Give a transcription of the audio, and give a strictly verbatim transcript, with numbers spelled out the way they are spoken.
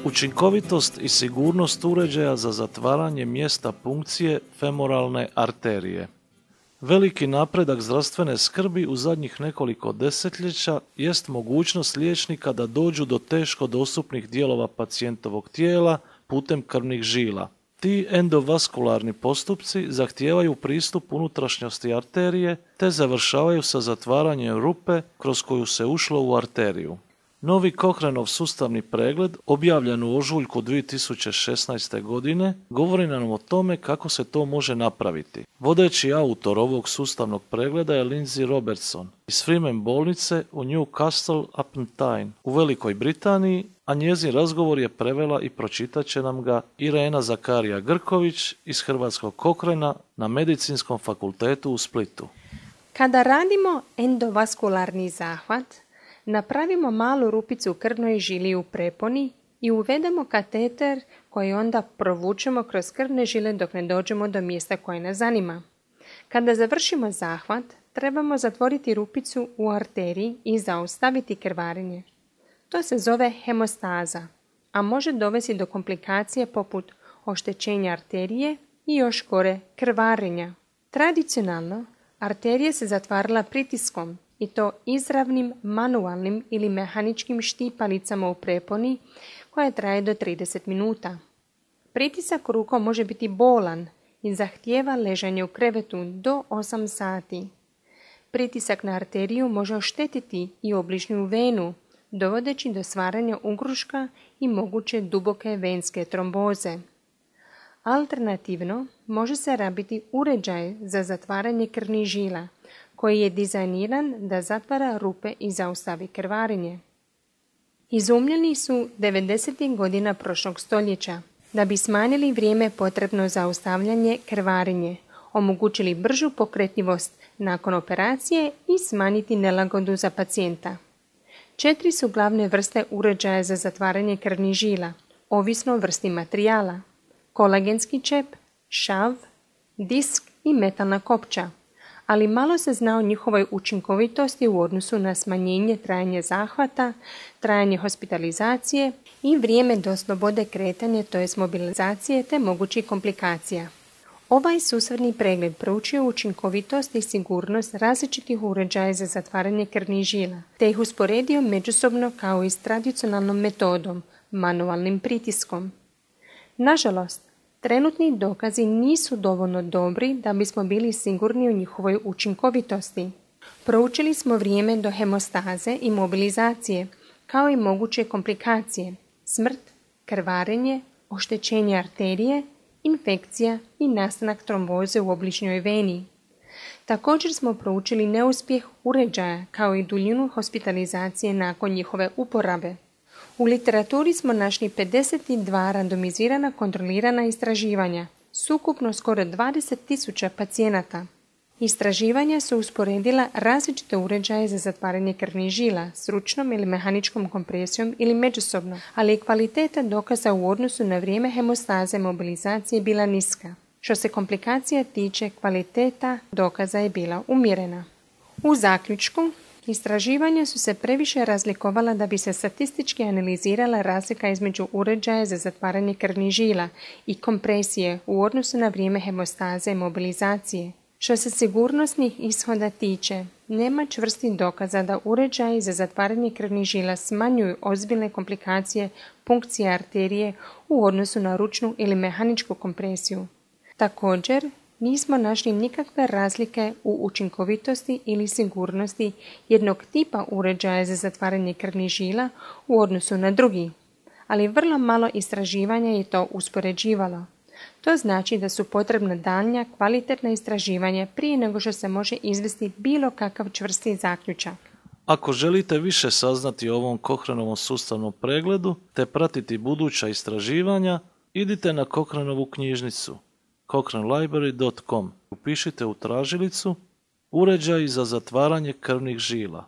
Učinkovitost i sigurnost uređaja za zatvaranje mjesta punkcije femoralne arterije. Veliki napredak zdravstvene skrbi u zadnjih nekoliko desetljeća jest mogućnost liječnika da dođu do teško dostupnih dijelova pacijentovog tijela putem krvnih žila. Ti endovaskularni postupci zahtijevaju pristup unutrašnjosti arterije te završavaju sa zatvaranjem rupe kroz koju se ušlo u arteriju. Novi Cochraneov sustavni pregled, objavljen u ožujku dvije tisuće šesnaeste. godine, govori nam o tome kako se to može napraviti. Vodeći autor ovog sustavnog pregleda je Lindsay Robertson iz Freeman bolnice u Newcastle upon Tyne u Velikoj Britaniji, a njezin razgovor je prevela i pročitat će nam ga Irena Zakarija Grković iz Hrvatskog Cochrana na Medicinskom fakultetu u Splitu. Kada radimo endovaskularni zahvat, napravimo malu rupicu u krvnoj žili u preponi i uvedemo kateter koji onda provučemo kroz krvne žile dok ne dođemo do mjesta koje nas zanima. Kada završimo zahvat, trebamo zatvoriti rupicu u arteriji i zaustaviti krvarenje. To se zove hemostaza, a može dovesti do komplikacije poput oštećenja arterije i još gore krvarenja. Tradicionalno, arterija se zatvarala pritiskom, i to izravnim manualnim ili mehaničkim štipalicama u preponi koja traje do trideset minuta. Pritisak rukom može biti bolan i zahtijeva ležanje u krevetu do osam sati. Pritisak na arteriju može oštetiti i obližnju venu, dovodeći do stvaranja ugruška i moguće duboke venske tromboze. Alternativno, može se rabiti uređaj za zatvaranje krvnih žila, koji je dizajniran da zatvara rupe i zaustavi krvarenje. Izumljeni su devedesetih godina prošlog stoljeća da bi smanjili vrijeme potrebno za zaustavljanje krvarenje, omogućili bržu pokretljivost nakon operacije i smanjiti nelagodu za pacijenta. Četiri su glavne vrste uređaja za zatvaranje krvnih žila, ovisno o vrsti materijala: kolagenski čep, šav, disk i metalna kopča, ali malo se zna o njihovoj učinkovitosti u odnosu na smanjenje trajanja zahvata, trajanje hospitalizacije i vrijeme do slobode kretanja, to jest mobilizacije te mogućih komplikacija. Ovaj sustavni pregled proučio učinkovitost i sigurnost različitih uređaja za zatvaranje krvnih žila, te ih usporedio međusobno kao i s tradicionalnom metodom, manualnim pritiskom. Nažalost, trenutni dokazi nisu dovoljno dobri da bismo bili sigurni u njihovoj učinkovitosti. Proučili smo vrijeme do hemostaze i mobilizacije, kao i moguće komplikacije, smrt, krvarenje, oštećenje arterije, infekcija i nastanak tromboze u obližnjoj veni. Također smo proučili neuspjeh uređaja kao i duljinu hospitalizacije nakon njihove uporabe. U literaturi smo našli pedeset dva randomizirana kontrolirana istraživanja, sukupno skoro dvadeset tisuća pacijenata. Istraživanja su usporedila različite uređaje za zatvaranje krvnih žila s ručnom ili mehaničkom kompresijom ili međusobno, ali kvaliteta dokaza u odnosu na vrijeme hemostaze mobilizacije je bila niska. Što se komplikacija tiče, kvaliteta dokaza je bila umjerena. U zaključku, istraživanja su se previše razlikovala da bi se statistički analizirala razlika između uređaja za zatvaranje krvnih žila i kompresije u odnosu na vrijeme hemostaze i mobilizacije. Što se sigurnosnih ishoda tiče, nema čvrstih dokaza da uređaji za zatvaranje krvnih žila smanjuju ozbiljne komplikacije punkcije arterije u odnosu na ručnu ili mehaničku kompresiju. Također, nismo našli nikakve razlike u učinkovitosti ili sigurnosti jednog tipa uređaja za zatvaranje krvnih žila u odnosu na drugi, ali vrlo malo istraživanja je to uspoređivalo. To znači da su potrebna daljnja kvalitetna istraživanja prije nego što se može izvesti bilo kakav čvrsti zaključak. Ako želite više saznati o ovom Cochranovom sustavnom pregledu te pratiti buduća istraživanja, idite na Cochranovu knjižnicu cochrane library dot com. Upišite u tražilicu uređaji za zatvaranje krvnih žila.